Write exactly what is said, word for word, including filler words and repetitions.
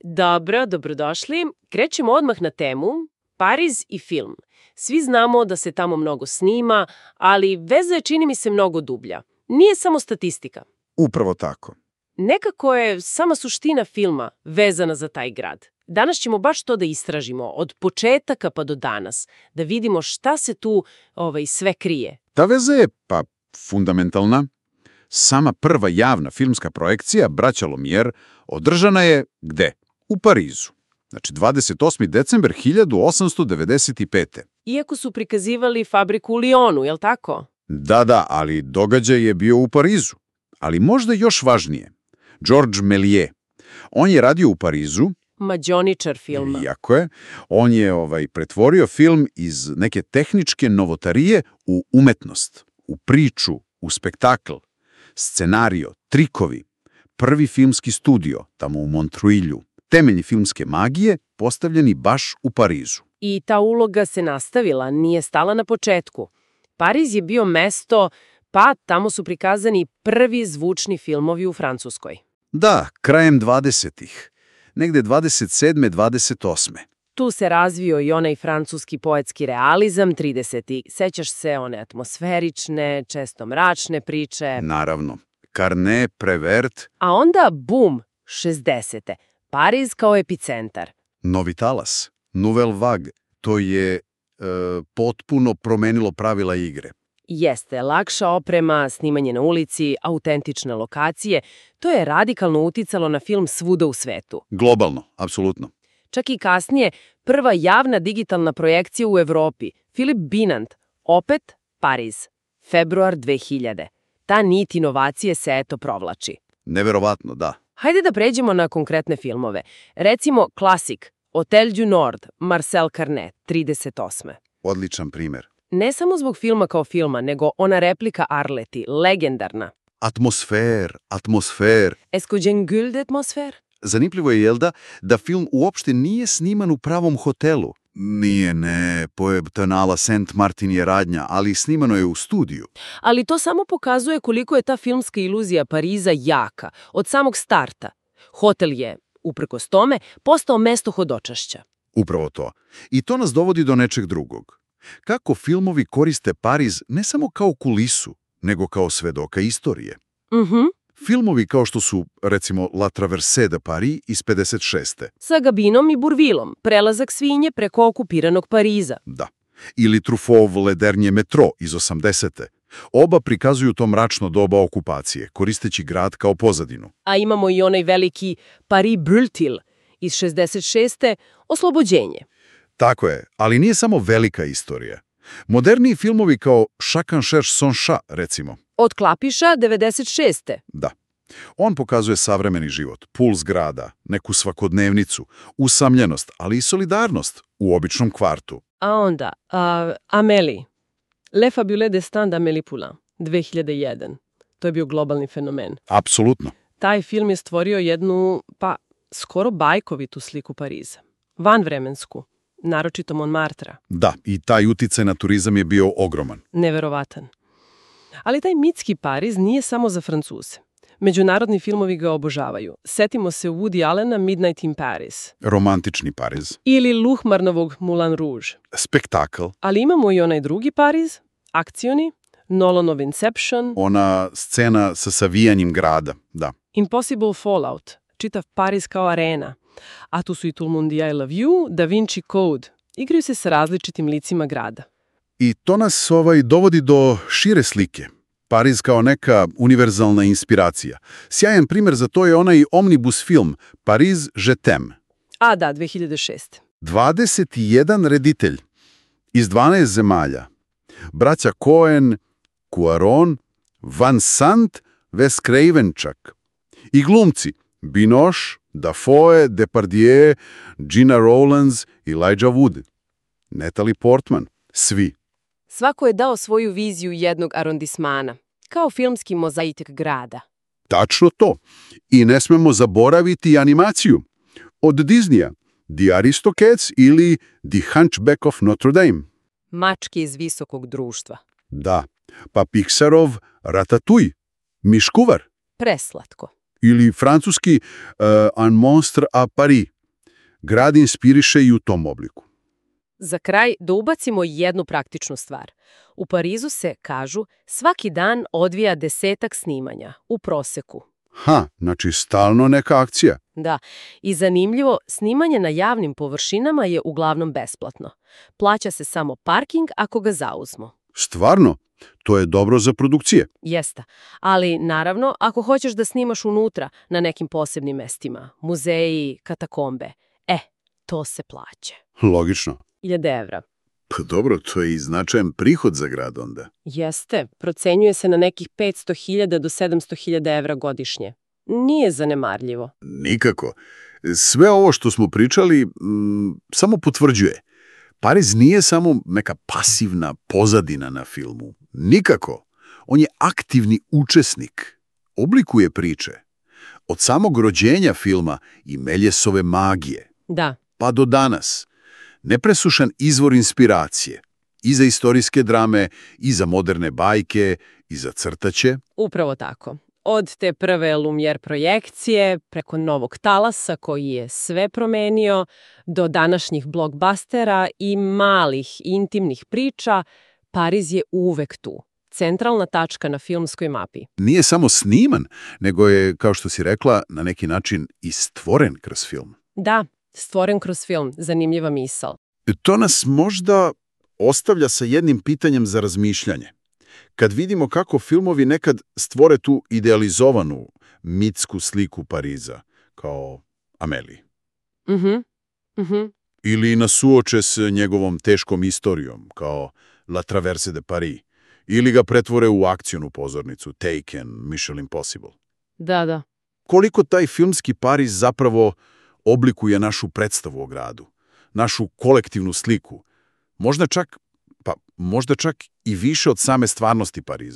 Dobro, dobrodošli. Krećemo odmah na temu. Pariz i film. Svi znamo da se tamo mnogo snima, ali veza je, čini mi se, mnogo dublja. Nije samo statistika. Upravo tako. Nekako je sama suština filma vezana za taj grad. Danas ćemo baš to da istražimo, od početaka pa do danas, da vidimo šta se tu ovaj, sve krije. Ta veza je, pa, fundamentalna. Sama prva javna filmska projekcija Braća Lumière održana je gde? U Parizu. Znači, dvadeset osmi decembar hiljadu osamsto devedeset pete. Iako su prikazivali fabriku u Lyonu, jel tako? Da, da, ali događaj je bio u Parizu. Ali možda još važnije. Georges Méliès. On je radio u Parizu. Mađioničar filma. Iako je. On je ovaj, pretvorio film iz neke tehničke novotarije u umetnost, u priču, u spektakl, scenario, trikovi, prvi filmski studio tamo u Montreuilu, temelji filmske magije postavljeni baš u Parizu. I ta uloga se nastavila, nije stala na početku. Pariz je bio mesto, pa tamo su prikazani prvi zvučni filmovi u Francuskoj. Da, krajem dvadesetih. Negde dvadeset sedme dvadeset osme. Tu se razvio i onaj francuski poetski realizam tridesetih. Sećaš se one atmosferične, često mračne priče. Naravno. Carnet, Prévert. A onda, bum, šezdesete. Pariz kao epicentar. Novi talas, Nouvelle Vague. To je e, potpuno promenilo pravila igre. Jeste, lakša oprema, snimanje na ulici, autentične lokacije, to je radikalno uticalo na film svuda u svetu. Globalno, apsolutno. Čak i kasnije, prva javna digitalna projekcija u Evropi, Philip Binant, opet Pariz, februar dve hiljade. Ta nit inovacije se eto provlači. Neverovatno, da. Hajde da pređemo na konkretne filmove. Recimo klasik, Hotel du Nord, Marcel Carnet, trideset osme. Odličan primjer. Ne samo zbog filma kao filma, nego ona replika Arleti, legendarna. Atmosfer, atmosfer. Est-ce que j'ai gueule d'atmosfère? Zanimljivo je, jelda, da film uopšte nije sniman u pravom hotelu. Nije, ne, poebtanala Saint Martin je radnja, ali snimano je u studiju. Ali to samo pokazuje koliko je ta filmska iluzija Pariza jaka, od samog starta. Hotel je, uprkos tome, postao mesto hodočašća. Upravo to. I to nas dovodi do nečeg drugog. Kako filmovi koriste Pariz ne samo kao kulisu, nego kao svedoka istorije. Mhm. Filmovi kao što su, recimo, La Traversée de Paris iz pedeset šeste. Sa Gabinom i Bourvilom, prelazak svinje preko okupiranog Pariza. Da. Ili Truffauv Le Dernier Métro iz osamdesete. Oba prikazuju to mračno doba okupacije, koristeći grad kao pozadinu. A imamo i onaj veliki Paris Brûle-t-il iz šezdeset šeste. Oslobođenje. Tako je, ali nije samo velika istorija. Moderniji filmovi kao Chacun cherche son chat, recimo. Od Klapiša devedeset šeste. Da. On pokazuje savremeni život, puls grada, neku svakodnevnicu, usamljenost, ali i solidarnost u običnom kvartu. A onda, uh, Amélie. Le fabuleux destin d'Amélie Poulain, dve hiljade jedan. To je bio globalni fenomen. Apsolutno. Taj film je stvorio jednu, pa, skoro bajkovitu sliku Pariza. Vanvremensku, naročito Montmartra. Da, i taj uticaj na turizam je bio ogroman. Neverovatan. Ali taj mitski Pariz nije samo za Francuze. Međunarodni filmovi ga obožavaju. Setimo se Woody Allena Midnight in Paris. Romantični Pariz. Ili Luhmarnovog Moulin Rouge. Spektakl. Ali imamo i onaj drugi Pariz, akcioni, Nolanov Inception. Ona scena sa savijanjem grada, da. Impossible Fallout, čitav Pariz kao arena. A tu su i Tout le monde I Love You, Da Vinci Code. Igraju se sa različitim licima grada. I to nas ovaj, dovodi do šire slike. Pariz kao neka univerzalna inspiracija. Sjajan primjer za to je onaj omnibus film Pariz je t'aime. A da, dve hiljade šeste. dvadeset jedan reditelj iz dvanaest zemalja. Braća Coen, Cuaron, Van Sant, Wes Craven čak. I glumci Binoche, Dafoe, Depardieu, Gina Rowlands i Elijah Wood. Natalie Portman. Svi. Svako je dao svoju viziju jednog arondismana, kao filmski mozaik grada. Tačno to. I ne smemo zaboraviti animaciju. Od Disneya, The Aristocats ili The Hunchback of Notre Dame. Mačke iz visokog društva. Da, pa Pixarov Ratatouille, Miškuvar. Preslatko. Ili francuski uh, Un monstre à Paris. Grad inspiriše i u tom obliku. Za kraj da ubacimo jednu praktičnu stvar. U Parizu se, kažu, svaki dan odvija desetak snimanja, u proseku. Ha, znači stalno neka akcija. Da, i zanimljivo, snimanje na javnim površinama je uglavnom besplatno. Plaća se samo parking ako ga zauzmu. Stvarno, to je dobro za produkcije. Jeste, ali naravno ako hoćeš da snimaš unutra na nekim posebnim mestima, muzeji, katakombe, e, to se plaća. Logično. Hiljade evra. Pa dobro, to je i značajan prihod za grad onda. Jeste, procenjuje se na nekih petsto hiljada do sedamsto hiljada evra godišnje. Nije zanemarljivo. Nikako. Sve ovo što smo pričali m, samo potvrđuje. Pariz nije samo neka pasivna pozadina na filmu. Nikako. On je aktivni učesnik. Oblikuje priče. Od samog rođenja filma i Meljesove magije. Da. Pa do danas. Nepresušan izvor inspiracije. I za istorijske drame, i za moderne bajke, i za crtaće. Upravo tako. Od te prve Lumière projekcije, preko Novog talasa koji je sve promenio, do današnjih blockbustera i malih intimnih priča, Pariz je uvek tu. Centralna tačka na filmskoj mapi. Nije samo sniman, nego je, kao što si rekla, na neki način i stvoren kroz film. Da, stvoren kroz film. Zanimljiva misao. To nas možda ostavlja sa jednim pitanjem za razmišljanje. Kad vidimo kako filmovi nekad stvore tu idealizovanu mitsku sliku Pariza, kao Amélie. Mhm, mhm. Ili nas suoče s njegovom teškom istorijom, kao La Traverse de Paris. Ili ga pretvore u akcionu pozornicu, Taken, Mission Impossible. Da, da. Koliko taj filmski Pariz zapravo oblikuje našu predstavu o gradu, našu kolektivnu sliku, možda čak, pa možda čak i više od same stvarnosti Pariza.